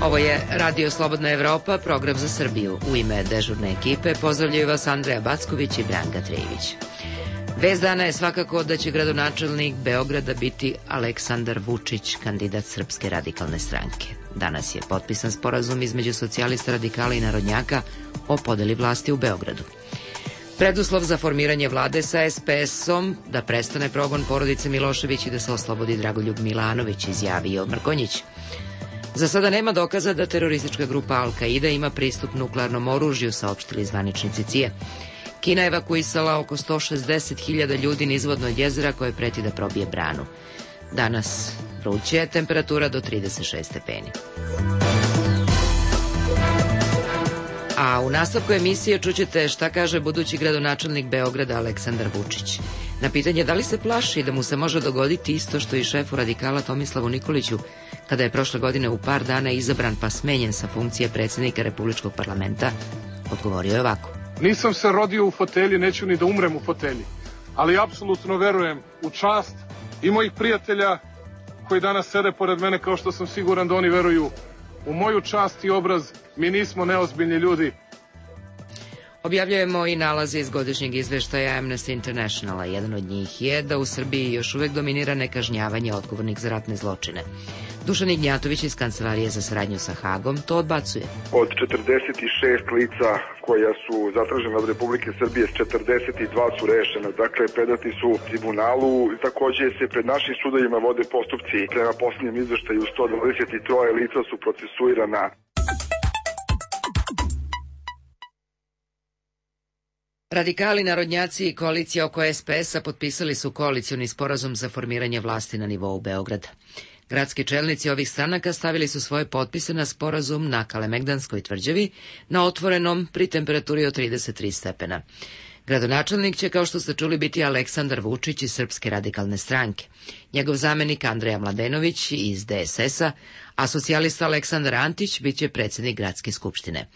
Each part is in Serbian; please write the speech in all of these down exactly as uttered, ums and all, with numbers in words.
Ovo je Radio Slobodna Evropa, program za Srbiju. U ime dežurne ekipe pozdravljaju vas Andreja Backović i Branka Trejević. Vest dana je svakako da će gradonačelnik Beograda biti Aleksandar Vučić, kandidat Srpske radikalne stranke. Danas je potpisan sporazum između socijalista, radikala i narodnjaka o podeli vlasti u Beogradu. Preduslov za formiranje vlade sa es pe esom da prestane progon porodice Milošević i da se oslobodi Dragoljub Milanović, izjavio Mrkonjić. Za sada nema dokaza da teroristička grupa Al-Kaida ima pristup nuklearnom oružju, saopštili zvaničnici C I E. Kina je evakuisala oko sto šezdeset hiljada ljudi nizvodno od jezera koje preti da probije branu. Danas vruće, temperatura do trideset šest stepeni. A u nastavku emisije čućete šta kaže budući gradonačelnik Beograda Aleksandar Vučić. Na pitanje da li se plaši da mu se može dogoditi isto što i šefu radikala Tomislavu Nikoliću, kada je prošle godine u par dana izabran pa smenjen sa funkcije predsjednika Republičkog parlamenta, odgovorio je ovako. Nisam se rodio u fotelji, neću ni da umrem u fotelji, ali apsolutno verujem u čast i mojih prijatelja koji danas sede pored mene, kao što sam siguran da oni veruju u moju čast i obraz. Mi nismo neozbiljni ljudi. Objavljujemo i nalaze iz godišnjeg izveštaja Amnesty Internationala. Jedan od njih je da u Srbiji još uvek dominira nekažnjavanje odgovornih za ratne zločine. Dušan Ignjatović iz Kancelarije za saradnju sa Hagom to odbacuje. Od četrdeset šest lica koja su zatražena od Republike Srbije, četrdeset dva su rešena, dakle predati su tribunalu. Takođe se pred našim sudovima vode postupci. Prema posljednjem izveštaju sto dvadeset tri lica su procesuirana. Radikali, narodnjaci i koalicija oko es pe esa potpisali su koalicioni sporazum za formiranje vlasti na nivou Beograda. Gradski čelnici ovih stranaka stavili su svoje potpise na sporazum na Kalemegdanskoj tvrđavi, na otvorenom pri temperaturi od trideset tri stepena. Gradonačelnik će, kao što ste čuli, biti Aleksandar Vučić iz Srpske radikalne stranke. Njegov zamenik Andreja Mladenović iz de es esa, a socijalista Aleksandar Antić bit će predsjednik Gradske skupštine.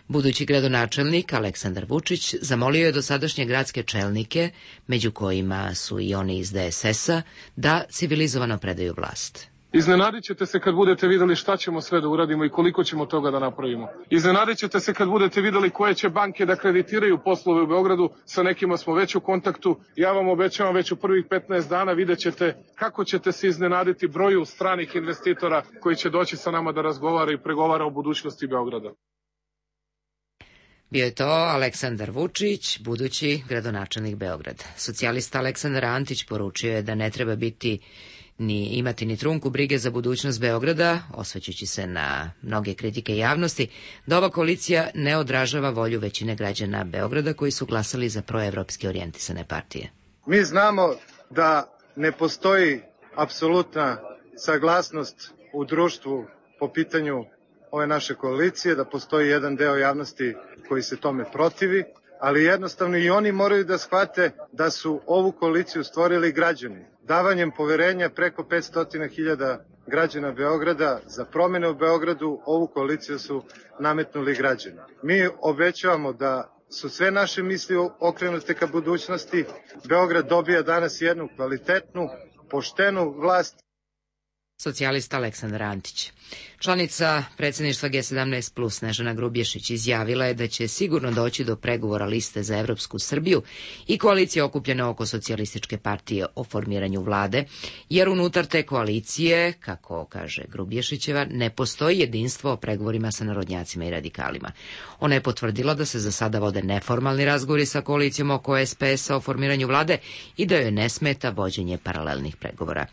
Budući gradonačelnik Aleksandar Vučić zamolio je dosadašnje gradske čelnike, među kojima su i oni iz de es esa, da civilizovano predaju vlast. Iznenadit ćete se kad budete videli šta ćemo sve da uradimo i koliko ćemo toga da napravimo. Iznenadit ćete se kad budete videli koje će banke da kreditiraju poslove u Beogradu, sa nekima smo već u kontaktu. Ja vam obećavam već u prvih petnaest dana vidjet ćete kako ćete se iznenaditi broju stranih investitora koji će doći sa nama da razgovara i pregovara o budućnosti Beograda. Bio je to Aleksandar Vučić, budući gradonačelnik Beograda. Socijalista Aleksandar Antić poručio je da ne treba biti ni imati ni trunku brige za budućnost Beograda, osvrćući se na mnoge kritike javnosti, da ova koalicija ne odražava volju većine građana Beograda koji su glasali za proevropski orijentisane partije. Mi znamo da ne postoji apsolutna saglasnost u društvu po pitanju ove naše koalicije, da postoji jedan deo javnosti koji se tome protivi, ali jednostavno i oni moraju da shvate da su ovu koaliciju stvorili građani. Davanjem poverenja preko petsto hiljada građana Beograda za promjene u Beogradu, ovu koaliciju su nametnuli građani. Mi obećavamo da su sve naše misli okrenute ka budućnosti. Beograd dobija danas jednu kvalitetnu, poštenu vlast. Socijalista Aleksandar Antić. Članica predsjedništva ge sedamnaest plus Snežana Grubješić izjavila je da će sigurno doći do pregovora liste za Evropsku Srbiju i koalicije okupljene oko socijalističke partije o formiranju vlade, jer unutar te koalicije, kako kaže Grubješićeva, ne postoji jedinstvo o pregovorima sa narodnjacima i radikalima. Ona je potvrdila da se za sada vode neformalni razgovori sa koalicijom oko es pe esa o formiranju vlade i da joj ne smeta vođenje paralelnih pregovora.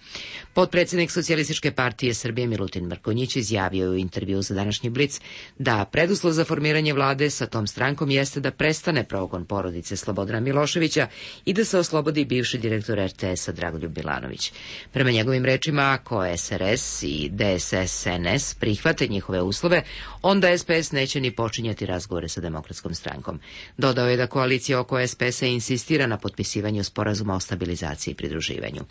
Potpredsjednik Socijalističke partije Srbije Milutin Mrkonjić izjavio u intervju za današnji Blic da preduslov za formiranje vlade sa tom strankom jeste da prestane progon porodice Slobodana Miloševića i da se oslobodi bivši direktor er te esa Dragoljub Milanović. Prema njegovim rečima, ako es er es i de es es en es prihvate njihove uslove, onda es pe es neće ni počinjati razgovore sa Demokratskom strankom. Dodao je da koalicija oko es pe esa insistira na potpisivanju sporazuma o stabilizaciji i pridruživanju.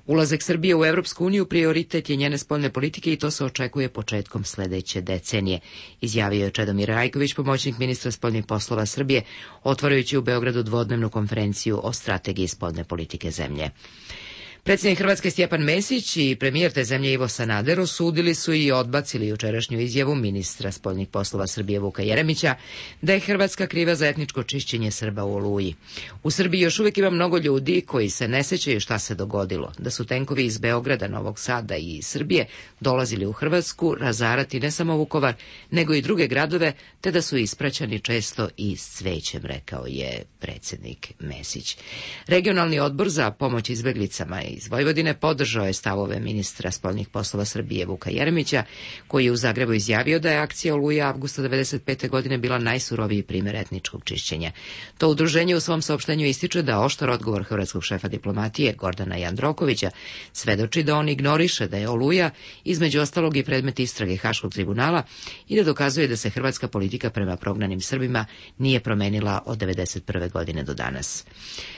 Ulazak Srbije u Evropsku uniju prioritet je njene spoljne politike i to se očekuje početkom sledeće decenije, izjavio je Čedomir Rajković, pomoćnik ministra spoljnih poslova Srbije, otvarajući u Beogradu dvodnevnu konferenciju o strategiji spoljne politike zemlje. Predsjednik Hrvatske Stjepan Mesić i premijer te zemlje Ivo Sanader osudili su i odbacili jučerašnju izjavu ministra spoljnih poslova Srbije Vuka Jeremića da je Hrvatska kriva za etničko čišćenje Srba u Oluji. U Srbiji još uvijek ima mnogo ljudi koji se ne sećaju šta se dogodilo, da su tenkovi iz Beograda, Novog Sada i Srbije dolazili u Hrvatsku razarati ne samo Vukovar, nego i druge gradove, te da su ispraćani često i s cvećem, rekao je predsjednik Mesić. Regionalni odbor za pomoć izbeglicama iz Vojvodine podržao je stavove ministra spoljnih poslova Srbije Vuka Jeremića, koji je u Zagrebu izjavio da je akcija Oluja avgusta devedeset pete godine bila najsuroviji primjer etničkog čišćenja. To udruženje u svom saopštenju ističe da oštar odgovor hrvatskog šefa diplomatije Gordana Jandrokovića svedoči da on ignoriše da je Oluja između ostalog i predmet istrage Haškog tribunala i da dokazuje da se hrvatska politika prema prognanim Srbima nije promenila od devedeset prve godine do danas.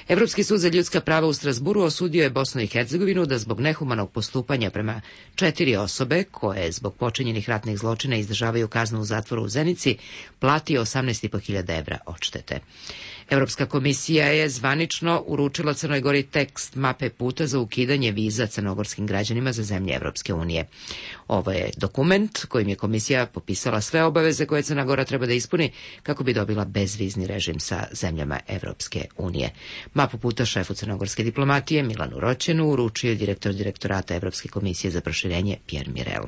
Evropski sud za ljudska prava u Strasburu osudio je Bosnu i Hercegovinu da zbog nehumanog postupanja prema četiri osobe koje zbog počinjenih ratnih zločina izdržavaju kaznu u zatvoru u Zenici plati osamnaest i po hiljada evra odštete. Europska komisija je zvanično uručila Crnoj Gori tekst mape puta za ukidanje viza crnogorskim građanima za zemlje Evropske unije. Ovo je dokument kojim je komisija popisala sve obaveze koje Crna Gora treba da ispuni kako bi dobila bezvizni režim sa zemljama Evropske unije. Mapu puta šefu crnogorske diplomatije Milanu Roćenu uručio je direktor direktorata Evropske komisije za proširenje Pierre Mirel.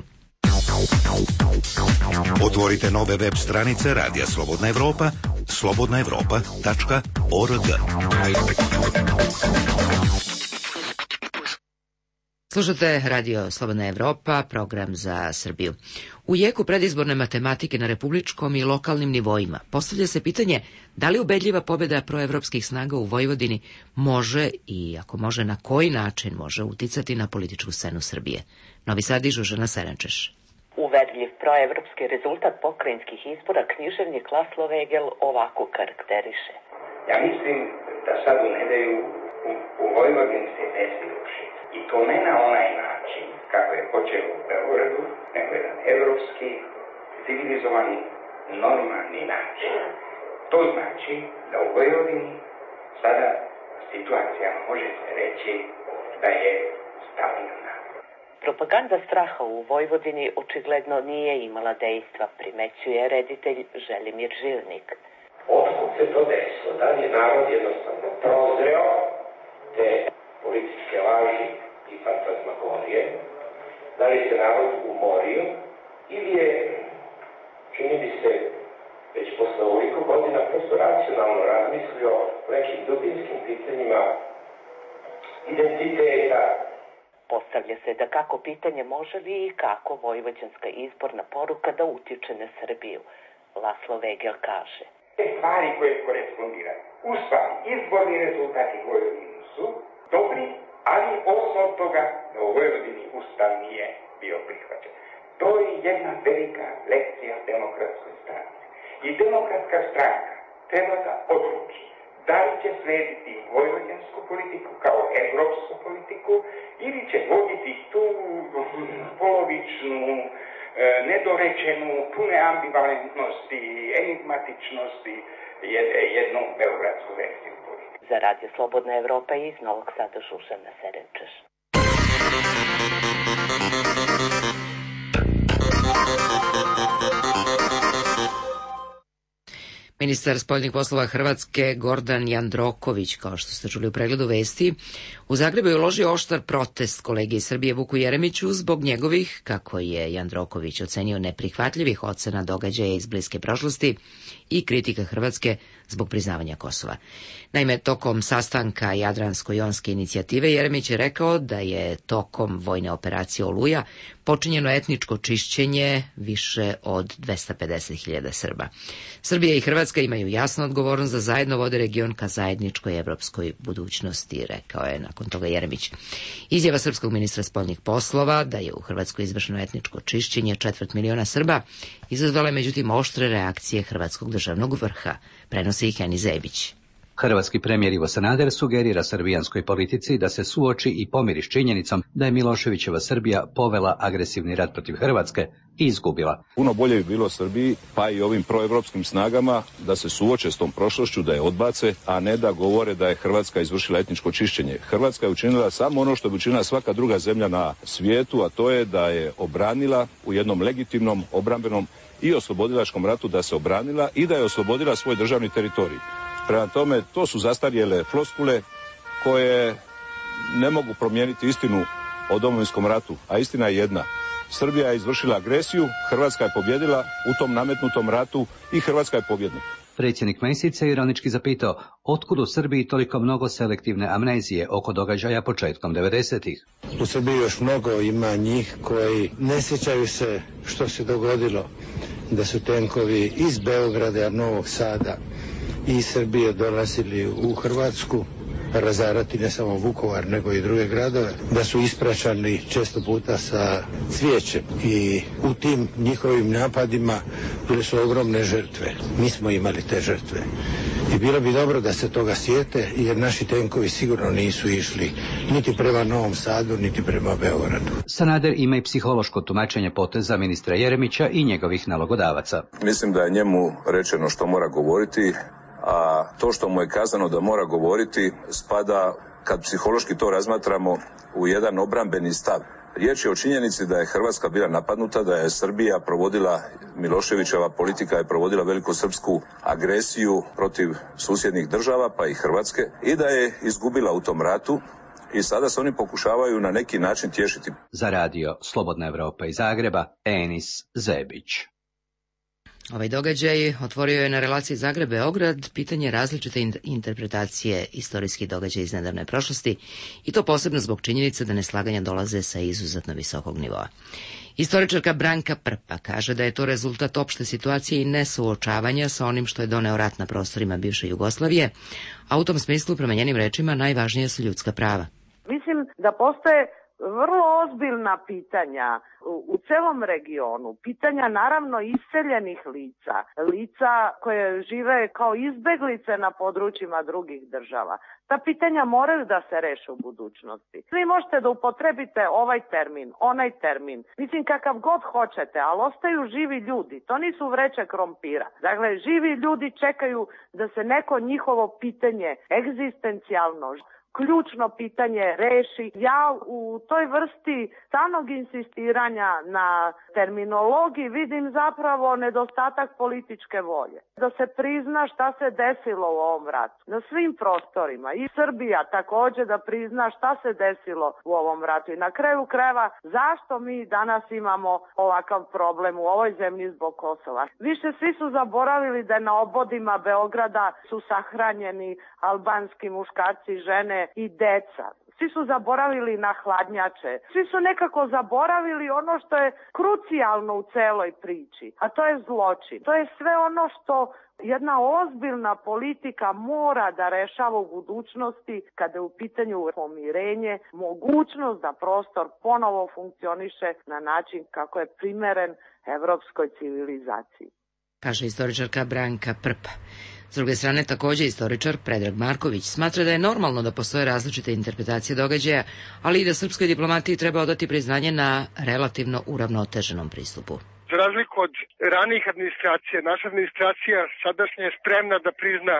Otvorite nove web stranice Radija Slobodna Evropa, slobodna evropa tačka org. Slušate Radio Slobodna Evropa, program za Srbiju. U jeku predizborne matematike na republičkom i lokalnim nivoima postavlja se pitanje da li ubedljiva pobjeda proevropskih snaga u Vojvodini može i ako može na koji način može uticati na političku scenu Srbije. Novi Sad i Žužana Serančeš. Uverljiv proevropski rezultat pokrajinskih izbora književnik Laslo Vegel ovako karakteriše. Ja mislim da sad u nedelju u, u Vojvodini se desi ruši. I to ne na onaj način kako je počeo u Beogradu, nego jedan evropski, civilizovani, normalni način. To znači da u Vojvodini sada situacija može se reći da je stabilna. Propaganda straha u Vojvodini očigledno nije imala dejstva, primećuje reditelj Želimir Žilnik. Otkud se to desilo? Da li je narod jednostavno prozreo te političke laži i fantazmagorije? Da li se narod umorio? Ili je, čini mi se, već posle ovoliko godina prosto racionalno razmislio o nekim dubinskim pitanjima identiteta? Postavlja se da kako pitanje može li i kako vojvođanska izborna poruka da utiče na Srbiju. Laslo Vegel kaže. Te stvari koje korespondiraju. U stvari, izborni rezultati u Vojvodini su dobri, ali osnov toga da u Vojvodini Ustav nije bio prihvaćen. To je jedna velika lekcija demokratskoj stranci. I demokratska stranka treba da odluči da li će slediti vojvođansku politiku kao evropsku politiku ili će voditi tu polovičnu, nedorečenu, pune ambivalentnosti, enigmatičnosti jednu beogradsku verziju politike. Za Radio Slobodna Evropa iz Novog Sada Žužana Serenčeš. Ministar spoljnih poslova Hrvatske Gordan Jandroković, kao što ste čuli u pregledu vesti, u Zagrebu je uložio oštar protest kolegi iz Srbije Vuku Jeremiću zbog njegovih, kako je Jandroković ocenio, neprihvatljivih ocena događaja iz bliske prošlosti i kritika Hrvatske zbog priznavanja Kosova. Naime, tokom sastanka Jadransko-jonske inicijative Jeremić je rekao da je tokom vojne operacije Oluja počinjeno etničko čišćenje više od dvesta pedeset hiljada Srba. Srbija i Hrvatska imaju jasnu odgovornost da zajedno vode region ka zajedničkoj evropskoj budućnosti, rekao je nakon toga Jeremić. Izjava srpskog ministra spoljnih poslova da je u Hrvatskoj izvršeno etničko čišćenje četvrt miliona Srba izazvala je međutim oštre reakcije hrvatskog državnog vrha, prenosi ih Eni Zebić. Hrvatski premijer Ivo Sanader sugerira srbijanskoj politici da se suoči i pomiri s činjenicom da je Miloševićeva Srbija povela agresivni rat protiv Hrvatske i izgubila. Puno bolje bi bilo Srbiji, pa i ovim proevropskim snagama, da se suoče s tom prošlošću, da je odbace, a ne da govore da je Hrvatska izvršila etničko čišćenje. Hrvatska je učinila samo ono što bi učinila svaka druga zemlja na svijetu, a to je da je obranila u jednom legitimnom obrambenom i oslobodilačkom ratu, da se obranila i da je oslobodila svoj državni teritorij. Prema tome, to su zastarjele floskule koje ne mogu promijeniti istinu o Domovinskom ratu, a istina je jedna. Srbija je izvršila agresiju, Hrvatska je pobjedila u tom nametnutom ratu i Hrvatska je pobjednik. Predsjednik Mesić se ironički zapitao otkud u Srbiji toliko mnogo selektivne amnezije oko događaja početkom devedesetih. U Srbiji još mnogo ima njih koji ne sjećaju se što se dogodilo, da su tenkovi iz Beograda, Novog Sada i iz Srbije dolazili u Hrvatsku razarati ne samo Vukovar nego i druge gradove, da su ispraćani često puta sa cvijećem i u tim njihovim napadima bile su ogromne žrtve. Mi smo imali te žrtve i bilo bi dobro da se toga sjete, jer naši tenkovi sigurno nisu išli niti prema Novom Sadu niti prema Beogradu. Sanader ima i psihološko tumačenje poteza ministra Jeremića i njegovih nalogodavaca. Mislim da je njemu rečeno što mora govoriti, a to što mu je kazano da mora govoriti spada, kad psihološki to razmatramo, u jedan obrambeni stav. Riječ je o činjenici da je Hrvatska bila napadnuta, da je Srbija provodila, Miloševićeva politika je provodila velikosrpsku agresiju protiv susjednih država, pa i Hrvatske, i da je izgubila u tom ratu. I sada se oni pokušavaju na neki način tješiti. Za radio Slobodna Evropa iz Zagreba, Enis Zebić. Ovaj događaj otvorio je na relaciji Zagreb-Beograd pitanje različite interpretacije istorijskih događaja iz nedavne prošlosti, i to posebno zbog činjenice da neslaganja dolaze sa izuzetno visokog nivoa. Istoričarka Branka Prpa kaže da je to rezultat opšte situacije i nesuočavanja sa onim što je doneo rat na prostorima bivše Jugoslavije, a u tom smislu, prema njenim rečima, najvažnija su ljudska prava. Mislim da postoje vrlo ozbiljna pitanja u celom regionu, pitanja naravno iseljenih lica, lica koje žive kao izbeglice na područjima drugih država. Ta pitanja moraju da se reše u budućnosti. Vi možete da upotrebite ovaj termin, onaj termin, mislim kakav god hoćete, ali ostaju živi ljudi, to nisu vreće krompira. Dakle, živi ljudi čekaju da se neko njihovo pitanje egzistencijalno, ključno pitanje reši. Ja u toj vrsti stalnog insistiranja na terminologiji vidim zapravo nedostatak političke volje. Da se prizna šta se desilo u ovom ratu na svim prostorima, i Srbija također da prizna šta se desilo u ovom ratu i na kraju krajeva zašto mi danas imamo ovakav problem u ovoj zemlji zbog Kosova. Više svi su zaboravili da na obodima Beograda su sahranjeni albanski muškarci, žene i deca. Svi su zaboravili na hladnjače. Svi su nekako zaboravili ono što je krucijalno u celoj priči, a to je zločin. To je sve ono što jedna ozbiljna politika mora da rešava u budućnosti kada je u pitanju pomirenje, mogućnost da prostor ponovo funkcioniše na način kako je primeren evropskoj civilizaciji. Kaže istoričarka Branka Prpa. S druge strane, također istoričar Predrag Marković smatra da je normalno da postoje različite interpretacije događaja, ali i da srpskoj diplomatiji treba odati priznanje na relativno uravnoteženom pristupu. Za razliku od ranijih administracija, naša administracija sadašnja je spremna da prizna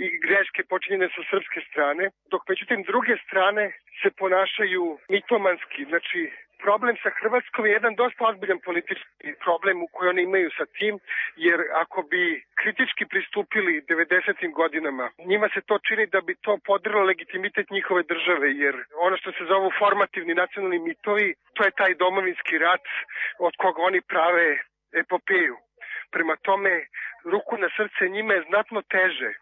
i greške počinjene sa srpske strane, dok međutim druge strane se ponašaju mitomanski. Znači, problem sa Hrvatskom je jedan dosta ozbiljan politički problem u koji oni imaju sa tim, jer ako bi kritički pristupili devedesetim godinama, njima se to čini da bi to podrilo legitimitet njihove države, jer ono što se zovu formativni nacionalni mitovi, to je taj domovinski rat od koga oni prave epopeju. Prema tome, ruku na srce, njima je znatno teže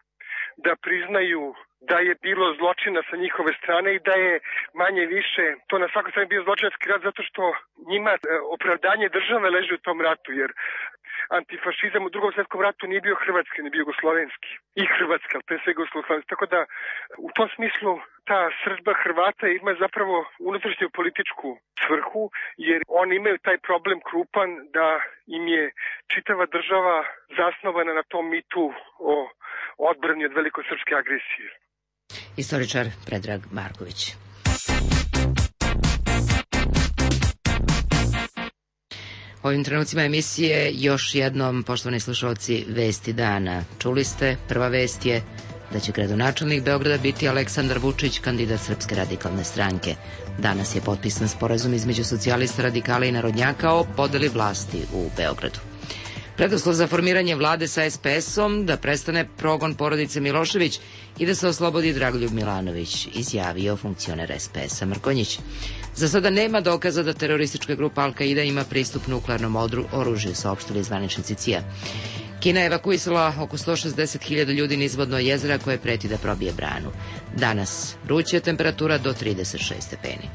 da priznaju da je bilo zločina sa njihove strane i da je manje više to na svakoj strani bio zločinski rat, zato što njima opravdanje države leži u tom ratu, jer antifašizam u drugom svjetskom ratu nije bio hrvatski, nije bio jugoslovenski i hrvatski, ali pre svega jugoslovenski. Tako da u tom smislu ta srdba Hrvata ima zapravo unutrašnju političku svrhu, jer oni imaju taj problem krupan da im je čitava država zasnovana na tom mitu o odbrani od velikosrpske agresije. Istoričar Predrag Marković. U ovim trenucima emisije još jednom, poštovani slušalci, vesti dana. Čuli ste, prva vest je da će gradonačelnik Beograda biti Aleksandar Vučić, kandidat Srpske radikalne stranke. Danas je potpisan sporazum između socijalista, radikala i narodnjaka o podeli vlasti u Beogradu. Preduslov za formiranje vlade sa es pe esom da prestane progon porodice Milošević i da se oslobodi Dragoljub Milanović, izjavio funkcioner es pe esa Mrkonjić. Za sada nema dokaza da teroristička grupa Al-Qaida ima pristup nuklearnom oružju, saopštili zvaničnici C I A. Kina je evakuisala oko sto šezdeset hiljada ljudi nizvodno jezera koje preti da probije branu. Danas vruća temperatura do trideset šest stepeni.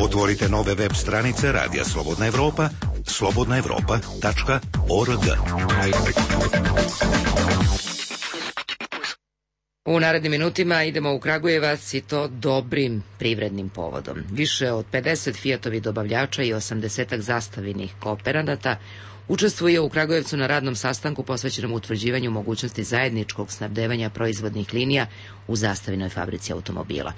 Otvorite nove web stranice Radija Slobodna Evropa, slobodna evropa tačka org. U narednim minutima idemo u Kragujevac i to dobrim privrednim povodom. Više od pedeset Fiatovih dobavljača i osamdesetak zastavinih kooperanata učestvuje u Kragujevcu na radnom sastanku posvećenom utvrđivanju mogućnosti zajedničkog snabdevanja proizvodnih linija u Zastavinoj fabrici automobila.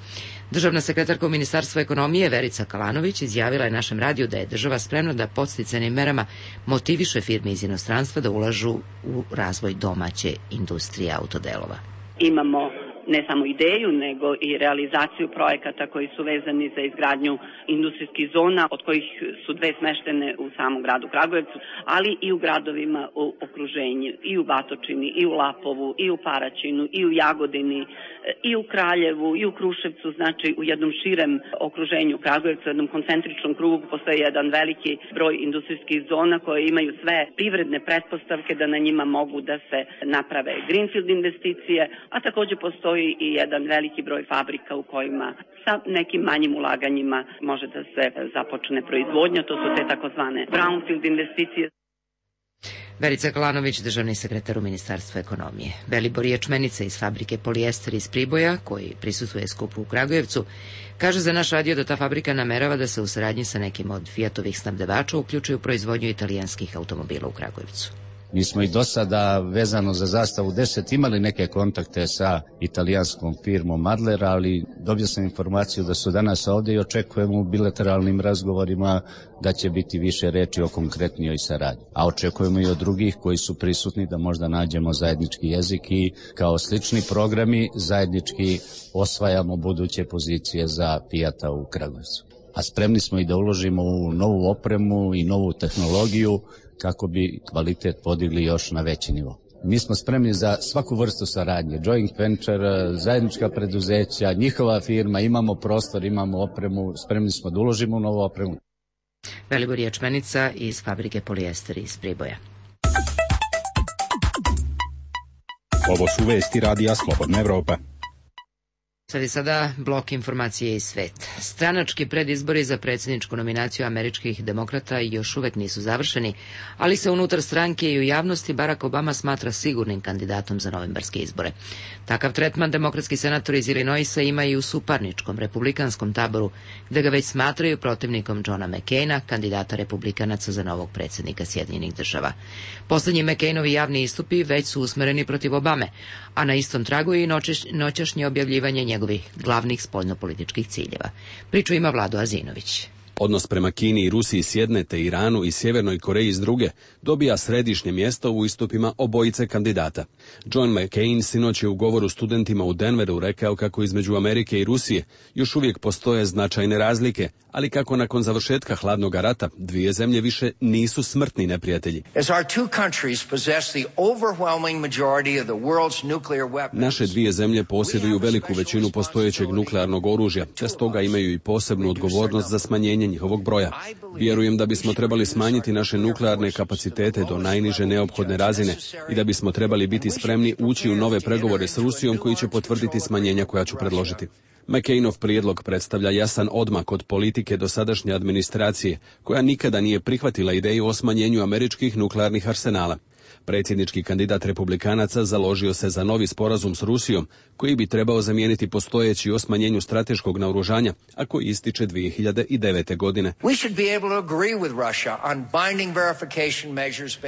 Državna sekretarka u Ministarstvu ekonomije Verica Kalanović izjavila je našem radiju da je država spremna da podsticajnim merama motiviše firme iz inostranstva da ulažu u razvoj domaće industrije autodelova. Imamo ne samo ideju, nego i realizaciju projekata koji su vezani za izgradnju industrijskih zona, od kojih su dve smeštene u samom gradu Kragujevcu, ali i u gradovima u okruženju, i u Batočini, i u Lapovu, i u Paraćinu, i u Jagodini, i u Kraljevu, i u Kruševcu, znači u jednom širem okruženju Kragujevca, u jednom koncentričnom krugu postoji jedan veliki broj industrijskih zona koje imaju sve privredne pretpostavke da na njima mogu da se naprave greenfield investicije, a takođe postoji i jedan veliki broj fabrika u kojima sa nekim manjim ulaganjima može da se započne proizvodnja, to su te takozvane brownfield investicije. Verica Kalanović, državni sekretar u Ministarstvu ekonomije. Velibor Ječmenica iz fabrike Polijester iz Priboja, koji prisustuje skupu u Kragujevcu, kaže za naš radio da ta fabrika namerava da se u saradnji sa nekim od Fiatovih snabdevača uključuje u proizvodnju italijanskih automobila u Kragujevcu. Mi smo i do sada vezano za Zastavu deset imali neke kontakte sa italijanskom firmom Adler, ali dobio sam informaciju da su danas ovdje i očekujemo u bilateralnim razgovorima da će biti više reči o konkretnijoj saradnji. A očekujemo i od drugih koji su prisutni da možda nađemo zajednički jezik i kao slični programi zajednički osvajamo buduće pozicije za Fiata u Kragujevcu. A spremni smo i da uložimo u novu opremu i novu tehnologiju kako bi kvalitet podigli još na veći nivo. Mi smo spremni za svaku vrstu saradnje, joint venture, zajednička preduzeća, njihova firma, imamo prostor, imamo opremu, spremni smo da uložimo u novu opremu. Velibor Ječmenica iz fabrike Polijester iz Priboja. Ovo su vesti Radija Slobodna Evropa. Sad je sada blok informacije iz sveta. Stranački predizbori za predsjedničku nominaciju američkih demokrata još uvek nisu završeni, ali se unutar stranke i u javnosti Barack Obama smatra sigurnim kandidatom za novembarske izbore. Takav tretman demokratski senator iz Illinoisa ima i u suparničkom republikanskom taboru, gde ga već smatraju protivnikom Johna McCaina, kandidata republikanaca za novog predsjednika Sjedinjenih država. Poslednji McCainovi javni istupi već su usmereni protiv Obame, a na istom tragu je i noćašnje objavljivanje njegovih glavnih spoljnopolitičkih ciljeva. Priču ima Vlado Azinović. Odnos prema Kini i Rusiji s jedne, te Iranu i Sjevernoj Koreji s druge, dobija središnje mjesto u istupima obojice kandidata. John McCain sinoć je u govoru studentima u Denveru rekao kako između Amerike i Rusije još uvijek postoje značajne razlike, ali kako nakon završetka hladnog rata dvije zemlje više nisu smrtni neprijatelji. Naše dvije zemlje posjeduju veliku većinu postojećeg nuklearnog oružja, te stoga imaju i posebnu odgovornost za smanjenje njihovog broja. Vjerujem da bismo trebali smanjiti naše nuklearne kapacitete do najniže neophodne razine i da bismo trebali biti spremni ući u nove pregovore s Rusijom koji će potvrditi smanjenja koja ću predložiti. McCainov prijedlog predstavlja jasan odmak od politike dosadašnje administracije, koja nikada nije prihvatila ideju o smanjenju američkih nuklearnih arsenala. Predsjednički kandidat republikanaca založio se za novi sporazum s Rusijom, koji bi trebao zamijeniti postojeći o smanjenju strateškog naoružanja, a koji ističe dvije hiljade devete. godine.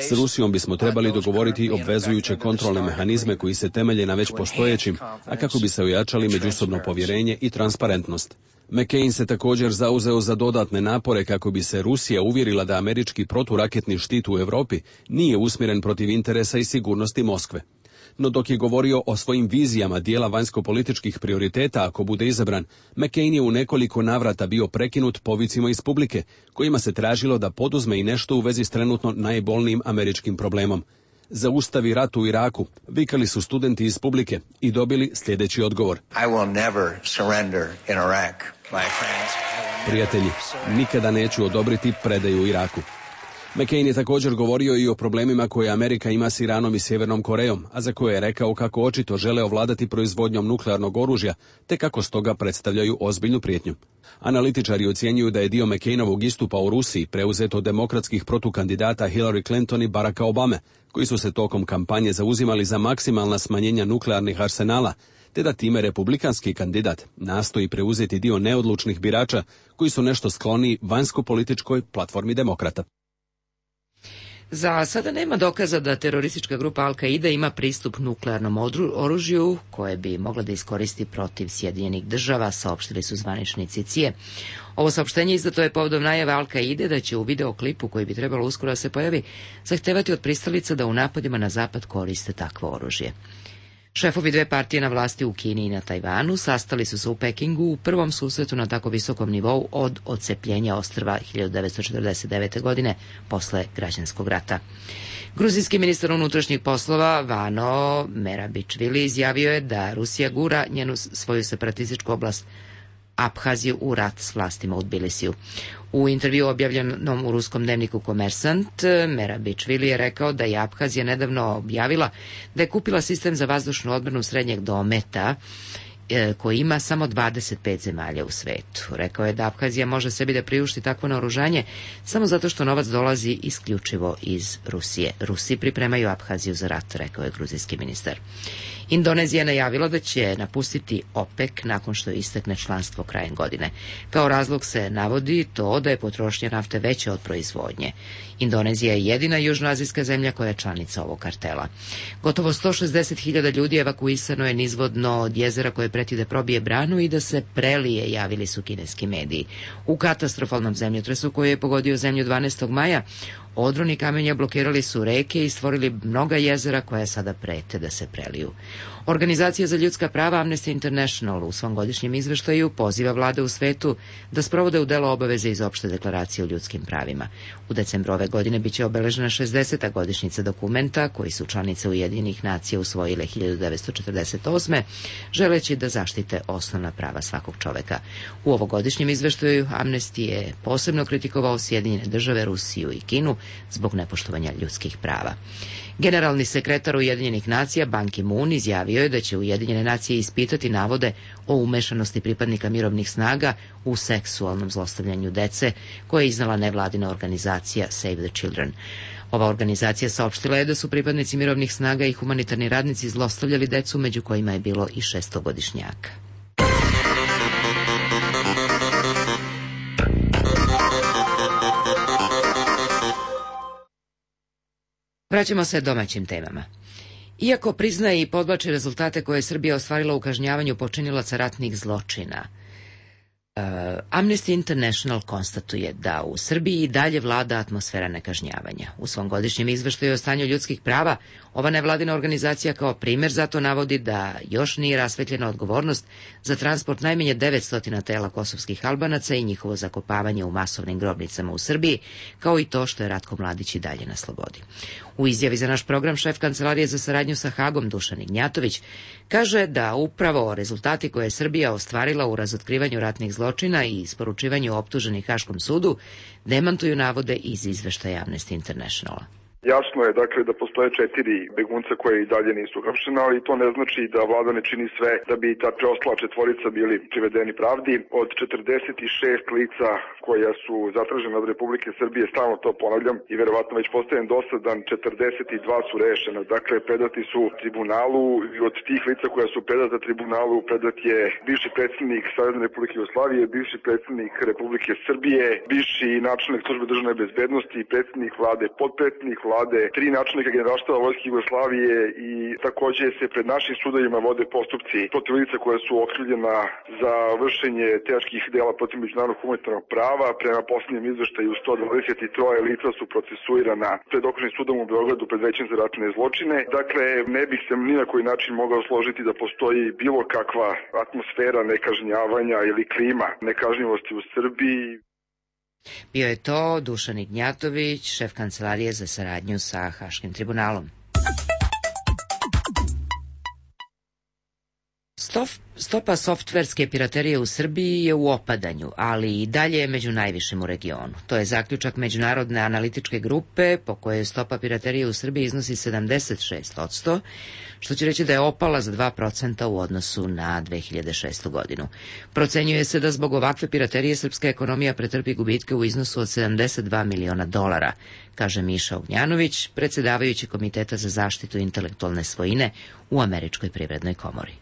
S Rusijom bismo trebali dogovoriti obvezujuće kontrolne mehanizme koji se temelje na već postojećim, a kako bi se ojačali međusobno povjerenje i transparentnost. McCain se također zauzeo za dodatne napore kako bi se Rusija uvjerila da američki proturaketni štit u Europi nije usmjeren protiv interesa i sigurnosti Moskve. No dok je govorio o svojim vizijama dijela vanjskopolitičkih prioriteta ako bude izabran, McCain je u nekoliko navrata bio prekinut povicima iz publike, kojima se tražilo da poduzme i nešto u vezi s trenutno najbolnijim američkim problemom. Zaustavi rat u Iraku, vikali su studenti iz publike i dobili sljedeći odgovor. I will never surrender in Iraq, my friends. Prijatelji, nikada neću odobriti predaju u Iraku. McCain je također govorio i o problemima koje Amerika ima s Iranom i Sjevernom Korejom, a za koje je rekao kako očito žele ovladati proizvodnjom nuklearnog oružja, te kako stoga predstavljaju ozbiljnu prijetnju. Analitičari ocjenjuju da je dio McCainovog istupa u Rusiji preuzet od demokratskih protukandidata Hillary Clinton i Baracka Obame, koji su se tokom kampanje zauzimali za maksimalna smanjenja nuklearnih arsenala, te da time republikanski kandidat nastoji preuzeti dio neodlučnih birača koji su nešto skloni vanjsko-političkoj platformi demokrata. Za sada nema dokaza da teroristička grupa Al-Qaida ima pristup nuklearnom oružju koje bi mogla da iskoristi protiv Sjedinjenih država, saopštili su zvaničnici C I E. Ovo saopštenje izdato je povodom najave Al-Qaide da će u videoklipu koji bi trebalo uskoro da se pojavi zahtevati od pristalica da u napadima na zapad koriste takvo oružje. Šefovi dve partije na vlasti u Kini i na Tajvanu sastali su se u Pekingu u prvom susretu na tako visokom nivou od odcepljenja ostrva hiljadu devetsto četrdeset devete. godine posle građanskog rata. Gruzijski ministar unutrašnjih poslova Vano Merabičvili izjavio je da Rusija gura njenu svoju separatističku oblast Abhaziju u rat s vlastima u Tbilisiju. U intervju objavljenom u ruskom dnevniku Komersant, Merabičvili je rekao da je Abhazija nedavno objavila da je kupila sistem za vazdušnu odbranu srednjeg dometa koji ima samo dvadeset pet zemalja u svetu. Rekao je da Abhazija može sebi da priušti takvo naoružanje samo zato što novac dolazi isključivo iz Rusije. Rusi pripremaju Abhaziju za rat, rekao je gruzijski ministar. Indonezija je najavila da će napustiti OPEC nakon što istekne članstvo krajem godine. Kao razlog se navodi to da je potrošnja nafte veća od proizvodnje. Indonezija je jedina južnoazijska zemlja koja je članica ovog kartela. Gotovo sto šezdeset hiljada ljudi evakuisano je nizvodno od jezera koje preti da probije branu i da se prelije, javili su kineski mediji. U katastrofalnom zemljotresu koji je pogodio zemlju dvanaestog maja, odroni kamenja blokirali su reke i stvorili mnoga jezera koja sada prete da se preliju. Organizacija za ljudska prava Amnesty International u svom godišnjem izveštaju poziva vlade u svetu da sprovode u delo obaveze iz opšte deklaracije o ljudskim pravima. U decembru ove godine biće obeležena šezdeseta godišnjica dokumenta koji su članice Ujedinjenih nacija usvojile hiljadu devetsto četrdeset osme. želeći da zaštite osnovna prava svakog čoveka. U ovogodišnjem izveštaju Amnesty je posebno kritikovao Sjedinjene države, Rusiju i Kinu zbog nepoštovanja ljudskih prava. Generalni sekretar Ujedinjenih nacija Ban Ki-moon izjavio je da će Ujedinjene nacije ispitati navode o umešanosti pripadnika mirovnih snaga u seksualnom zlostavljanju dece koje je iznala nevladina organizacija Save the Children. Ova organizacija saopštila je da su pripadnici mirovnih snaga i humanitarni radnici zlostavljali decu, među kojima je bilo i šestogodišnjaka. Vraćamo se domaćim temama. Iako priznaje i podvlači rezultate koje je Srbija ostvarila u kažnjavanju počinilaca ratnih zločina, uh, Amnesty International konstatuje da u Srbiji i dalje vlada atmosfera nekažnjavanja. U svom godišnjem izveštaju o stanju ljudskih prava, ova nevladina organizacija kao primer zato navodi da još nije rasvetljena odgovornost za transport najmanje devetsto tela kosovskih Albanaca i njihovo zakopavanje u masovnim grobnicama u Srbiji, kao i to što je Ratko Mladić i dalje na slobodi. U izjavi za naš program šef Kancelarije za saradnju sa Hagom Dušan Ignjatović kaže da upravo rezultati koje je Srbija ostvarila u razotkrivanju ratnih zločina i isporučivanju optuženih Haškom sudu demantuju navode iz izveštaja Amnesty Internationala. Jasno je, dakle, da postoje četiri begunca koje i dalje nisu uhapšena, ali to ne znači da vlada ne čini sve da bi ta preostala četvorica bili privedeni pravdi. Od četrdeset šest lica koja su zatražena od Republike Srbije, stalno to ponavljam i verovatno već postajem dosadan, četrdeset dva su rešena. Dakle, predati su tribunalu i od tih lica koja su predata tribunalu predat je bivši predsjednik Savezne Republike Jugoslavije, bivši predsjednik Republike Srbije, bivši načelnik službe državne bezbednosti, predsjednik vlade, podpredsjednik vlade, tri načelnika generalštaba Vojske Jugoslavije i takođe se pred našim sudovima vode postupci protiv lica koja su okrivljena za vršenje teških dela protiv međunarodnog humanitarnog prava. Prema poslednjem izveštaju sto dvadeset tri lica su procesuirana pred okružnim sudom u Beogradu pred Većem za ratne zločine. Dakle, ne bih se ni na koji način mogao složiti da postoji bilo kakva atmosfera nekažnjavanja ili klima nekažnjivosti u Srbiji. Bio je to Dušan Ignjatović, šef kancelarije za saradnju sa Haškim tribunalom. Stopa softverske piraterije u Srbiji je u opadanju, ali i dalje je među najvišim u regionu. To je zaključak Međunarodne analitičke grupe po kojoj stopa piraterije u Srbiji iznosi sedamdeset šest posto, što će reći da je opala za dva procenta u odnosu na dve hiljade šestu godinu. Procenjuje se da zbog ovakve piraterije srpska ekonomija pretrpi gubitke u iznosu od sedamdeset dva miliona dolara, kaže Miša Ognjanović, predsedavajući Komiteta za zaštitu intelektualne svojine u Američkoj privrednoj komori.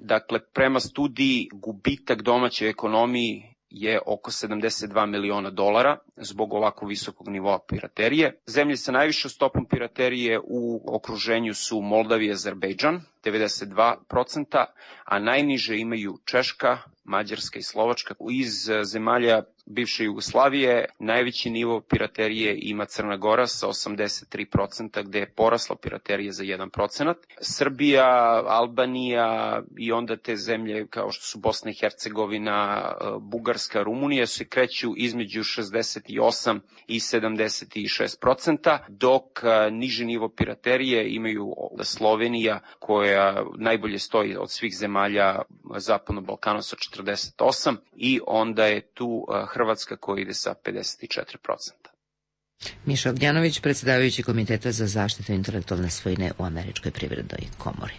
Dakle, prema studiji gubitak domaće ekonomiji je oko sedamdeset dva miliona dolara zbog ovako visokog nivoa piraterije. Zemlje sa najvišom stopom piraterije u okruženju su Moldavija i Azerbejdžan, devedeset dva procenta, a najniže imaju Češka, Mađarska i Slovačka. Iz zemalja bivše Jugoslavije najveći nivo piraterije ima Crna Gora sa osamdeset tri procenta, gde je porasla piraterija za jedan procenat. Srbija, Albanija i onda te zemlje kao što su Bosna i Hercegovina, Bugarska, Rumunija se kreću između šezdeset osam i sedamdeset šest procenta, dok niži nivo piraterije imaju Slovenija koja najbolje stoji od svih zemalja Zapadnog Balkana sa četrdeset osam i onda je tu Hrvatska koja ide sa pedeset četiri procenta. Miša Ognjanović, predsedavajući Komiteta za zaštitu intelektualne svojine u Američkoj privrednoj komori.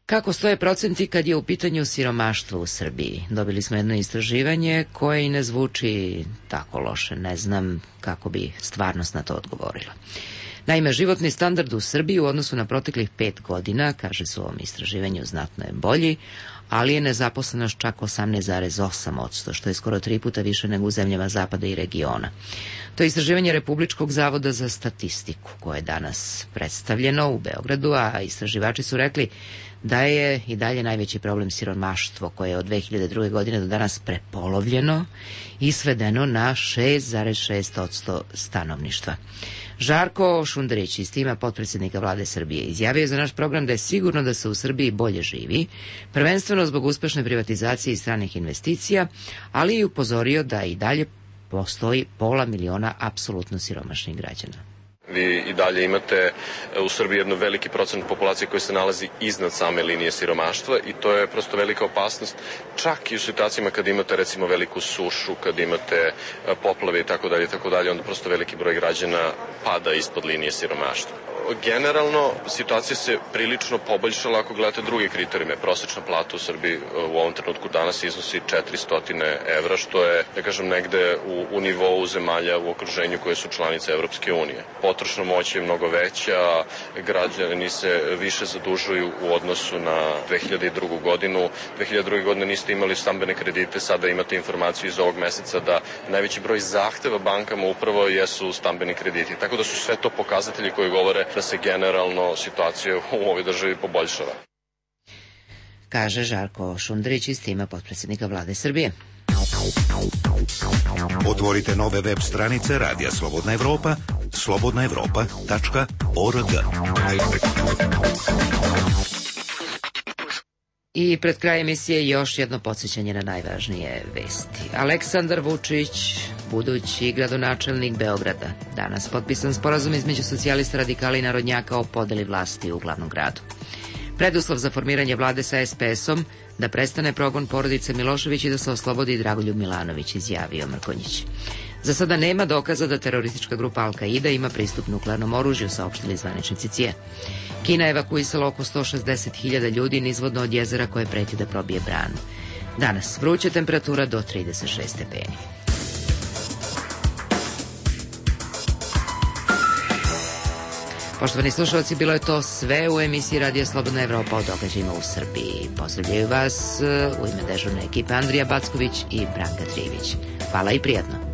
Kako stoje procenti kad je u pitanju siromaštvo u Srbiji? Dobili smo jedno istraživanje koje i ne zvuči tako loše. Ne znam kako bi stvarnost na to odgovorila. Naime, životni standard u Srbiji u odnosu na proteklih pet godina, kaže se u ovom istraživanju, znatno je bolji, ali je nezaposlenost čak osamnaest zarez osam posto, što je skoro tri puta više nego u zemljama zapada i regiona. To je istraživanje Republičkog zavoda za statistiku, koje je danas predstavljeno u Beogradu, a istraživači su rekli da je i dalje najveći problem siromaštvo, koje je od dve hiljade druge. godine do danas prepolovljeno i svedeno na šest zarez šest posto stanovništva. Žarko Šunderić iz tima potpredsjednika vlade Srbije izjavio je za naš program da je sigurno da se u Srbiji bolje živi, prvenstveno zbog uspešne privatizacije i stranih investicija, ali i upozorio da i dalje postoji pola miliona apsolutno siromašnih građana. Vi i dalje imate u Srbiji jedno veliki procent populacije koji se nalazi iznad same linije siromaštva i to je prosto velika opasnost, čak i u situacijama kad imate recimo veliku sušu, kad imate poplave i tako dalje i tako dalje, onda prosto veliki broj građana pada ispod linije siromaštva. Generalno, situacija se prilično poboljšala ako gledate druge kriterijume. Prosečna plata u Srbiji u ovom trenutku danas iznosi četiristo evra, što je, da kažem, negde u, u nivou zemalja u okruženju koje su članice Evropske unije. Potrošna moć je mnogo veća, građani se više zadužuju u odnosu na dve hiljade drugu. godinu. dve hiljade druge. godine niste imali stambene kredite, sada imate informaciju iz ovog meseca da najveći broj zahteva bankama upravo jesu stambeni krediti. Tako da su sve to pokazatelji koji govore da se generalno situacija u ovoj državi poboljšava. Kaže Žarko Šunderić iz tima potpredsjednika vlade Srbije. Otvorite nove web stranice Radija Slobodna Evropa, slobodna evropa tačka org. I pred kraj emisije još jedno podsjećanje na najvažnije vesti. Aleksandar Vučić, budući gradonačelnik Beograda. Danas potpisan sporazum između socijalista, radikala i narodnjaka o podeli vlasti u glavnom gradu. Preduslov za formiranje vlade sa es pe esom da prestane progon porodice Milošević i da se oslobodi Dragoljub Milanović, izjavio Mrkonjić. Za sada nema dokaza da teroristička grupa Al-Qaida ima pristup nuklearnom oružju, saopštili zvaničnici C I E. Kina je evakuisala oko sto šezdeset hiljada ljudi nizvodno od jezera koje preti da probije branu. Danas vruća temperatura do trideset šest stepeni. Poštovani slušalci, bilo je to sve u emisiji Radija Slobodna Evropa o događajima u Srbiji. Pozdravljaju vas u ime dežurne ekipe Andrija Backović i Branka Trivić. Hvala i prijatno.